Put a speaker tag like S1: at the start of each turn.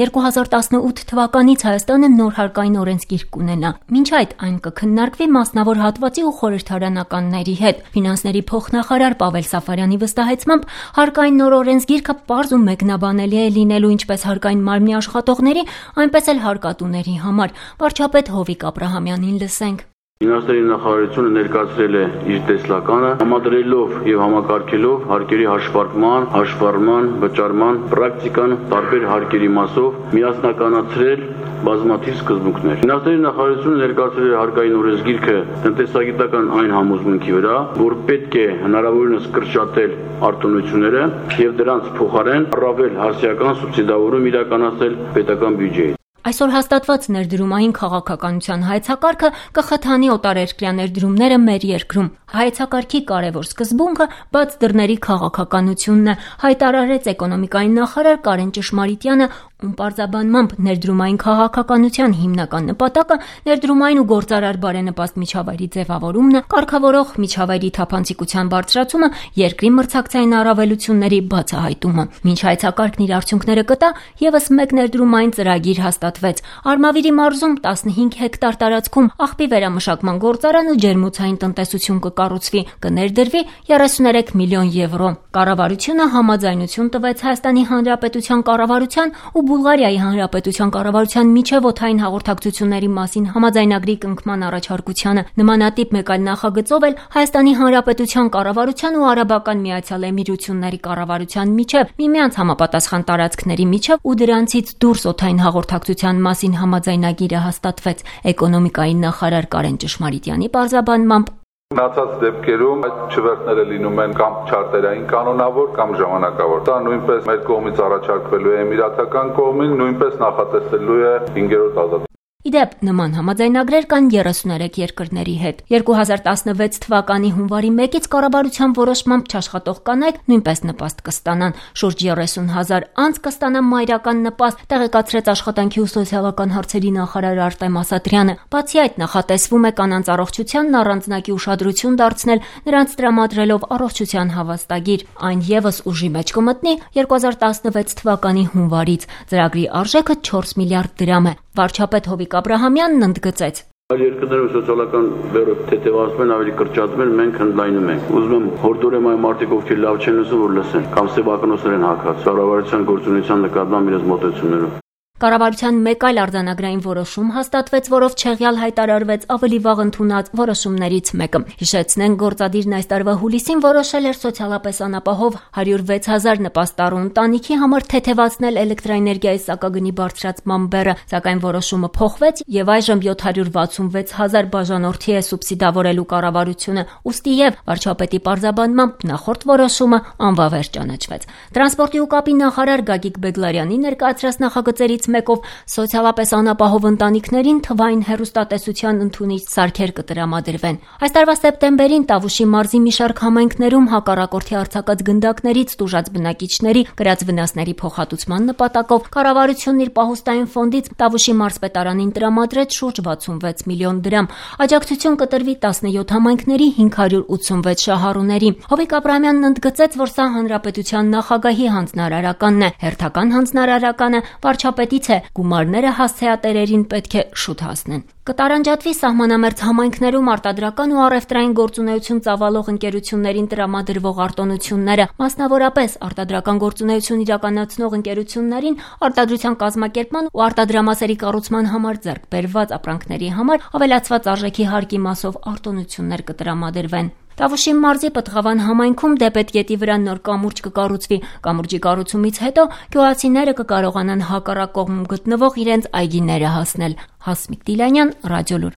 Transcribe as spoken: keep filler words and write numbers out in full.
S1: երկու հազար տասնութ թվականից Հայաստանը նոր հարկային օրենսգիր կունենա։ Մինչ այդ այն կքննարկվի մասնավոր հատվածի ու խորհրդարանականների հետ։ Ֆինանսների փոխնախարար Պավել Սաֆարյանի վստահեցմամբ հարկային նոր օրենսգիրքը պարզ ու մեկնաբանելի է լինելու ինչպես հարկային մարմնի աշխատողների, այնպես էլ հարկատուների համար։ Վարչապետ Հովիկ Աբրահամյանին լսենք։
S2: Ֆինանսների նախարարությունը ներկայացրել է իր տեսլականը, համադրելով եւ համակարգելով հարկերի հաշվարկման, հաշվառման, վճարման պրակտիկան տարբեր հարկերի մասով միասնականացրել բազմաթիվ սկզբունքներ։ Ֆինանսների նախարարությունը ներկայացրել է հարկային օրենսգիրքը տնտեսագիտական այն համոզմունքի վրա, որ պետք է հնարավորինս կրճատել արտոնությունները եւ դրանց փոխարեն առավել հասարակական սուբսիդավորում իրականացնել պետական բյուջեից։
S1: Այսօր հաստատված ներդրումային քաղաքականության հայեցակարգը կխթանի օտարերկրյա ներդրումները մեր երկրում։ Հայեցակարգի կարևոր սկզբունքը բաց դռների քաղաքականությունն է, հայտարարեց էկոնոմիկայի նախարար Կարեն Ճշմարիտյանը, ում պարզաբանմամբ ներդրումային քաղաքականության հիմնական նպատակը ներդրումային ու գործարար բարենպաստ միջավայրի ձևավորումն է, կարգավորող միջավայրի թափանցիկության բարձրացումը, երկրի մրցակցային առավելությունների բացահայտումը։ Մինչ հայեցակարգն իր արդյունքները կտա, եւս մեկ ներդրումային ծրագիր հաստատվեց։ Արմավիրի մարզում տասնհինգ հեկտար տարածքում աղբի վերամշակման գործարան ու ջերմոցային տնտեսություն կկառուցվի, կներդրվի երեսուներեք միլիոն եվրո։ Կառավարությունը համաձայնություն տվեց Հայաստանի Հանրապետության կառավարության ու Բուլղարիայի Հանրապետության կառավարության միջև օդային հաղորդակցությունների մասին համաձայնագրի կնքման առաջարկությանը։ Նմանատիպ մեկ այլ նախագծով էլ Հայաստանի Հանրապետության կառավարության ու Արաբական Միացյալ Էմիրությունների կառավարության միջև միմյանց համապատասխան տարածքների միջև ու դրանցից դուրս օդային հաղորդակցության մասին համաձայնագիրը հաստատվեց։ Էկոնոմիկայի նախարար Կարեն Ճշմարիտյանի պարզաբանմամբ
S3: Մնացած դեպքերում այդ չվերթները լինում են կամ չարտերային կանոնավոր կամ ժամանակավոր։ Դա նույնպես մեր կողմից առաջարկվելու է Էմիրատական կողմին, նույնպես նախատեսելու է հինգերորդ ազատություն։
S1: Իդեպ նման համաձայնագրեր կան երեսուներեք երկրների հետ։ երկու հազար տասնվեց թվականի հունվարի մեկից կառավարության որոշմամբ չաշխատող կանայք նույնպես նպաստ կստանան։ Շուրջ երեսուն հազար անձ կստանան մայրական նպաստ, տեղեկացրեց աշխատանքի ու սոցիալական հարցերի նախարար Արտեմ Ասատրյանը։ Բացի այդ նախատեսվում է կանանց առողջությանն առանձնակի ուշադրություն դարձնել, նրանց տրամադրելով առողջության հավաստագիր։ Այն եւս ուժի մեջ կմտնի երկու հազար տասնվեց թվականի հունվարից։ Ծրագրի արժեքը չորս միլիարդ դրամ է։ Վարչապետ Հովիկ Աբրահամյանն ընդգծեց.
S2: Այլ երկրներում սոցիալական բեռը թեթևացնում են, ավելի կրճատում են, մենք ընդլայնում ենք։ Ուզում եմ հորդորեմ այն մարդիկ, ովքեր լավ չեն լսում, որ լսեն, կամ սեփականոսներ են հակած կառավարության գործունեության նկատմամբ իրենց մոտեցումներով։ Կառավարության
S1: մեկ այլ արձանագրային որոշում հաստատվեց, որով չեղյալ հայտարարվեց ավելի վաղ ընդունած որոշումներից մեկը։ Հիշեցնենք, գործադիրն այս տարվա հուլիսին որոշել էր սոցիալապես անապահով հարյուր վեց հազար նպաստառու ընտանիքի համար թեթևացնել էլեկտրաէներգիայի սակագնի բարձրացման բեռը, սակայն որոշումը փոխվեց եւ այժմ յոթ հարյուր վաթսունվեց հազար բաժանորդի է սուբսիդավորելու կառավարությունը։ Ուստի եւ վարչապետի պարզաբանմամբ նախորդ որոշումը անվավեր ճանաչվեց։ Տրանսպորտի ու կապի նախարար Գագիկ Բեգլարյանի ներկայացրած նախագծերից մեկով սոցիալապես անապահով ընտանիքներին թվային հեռուստատեսության ընդունիչ սարքեր կտրամադրվեն։ Այս տարվա սեպտեմբերին Տավուշի մարզի մի շարք համայնքներում հակառակորդի արձակած գնդակներից տուժած բնակիչների կրած վնասների փոխհատուցման նպատակով կառավարությունն իր պահուստային ֆոնդից Տավուշի մարզպետարանին տրամադրեց շուրջ վաթսունվեց միլիոն դրամ։ Աջակցություն կտրվի տասնյոթ համայնքների հինգ հարյուր ութսունվեց շահառուների։ Հովիկ Աբրահամյանն ընդգծեց, որ սա հանրապետության նախագահի հանձնարարականն է, հերթական հանձնարարականը վարչապետի գումարները հասցեատերերին պետք է շուտ հասնեն։ Կտարանջատվի սահմանամերձ համայնքներում արտադրական ու առևտրային գործունեություն ծավալող ընկերություններին տրամադրվող արտոնությունները, մասնավորապես արտադրական գործունեություն իրականացնող ընկերություններին արտադրության կազմակերպման ու արտադրամասերի կառուցման համար ձեռք բերված ապրանքների համար ավելացված արժեքի հարկի մասով արտոնություններ կտրամադրվեն։ Տավուշի մարզի Պտղավան համայնքում Դեպետ գետի վրա նոր կամուրջ կկառուցվի։ Կամուրջի կառուցումից հետո գյուղացիները կկարողանան հակառակ կողմում գտնվող իրենց այգիները հասնել։ Հասմիկ Տիլյանյան, Ռադիոլուր։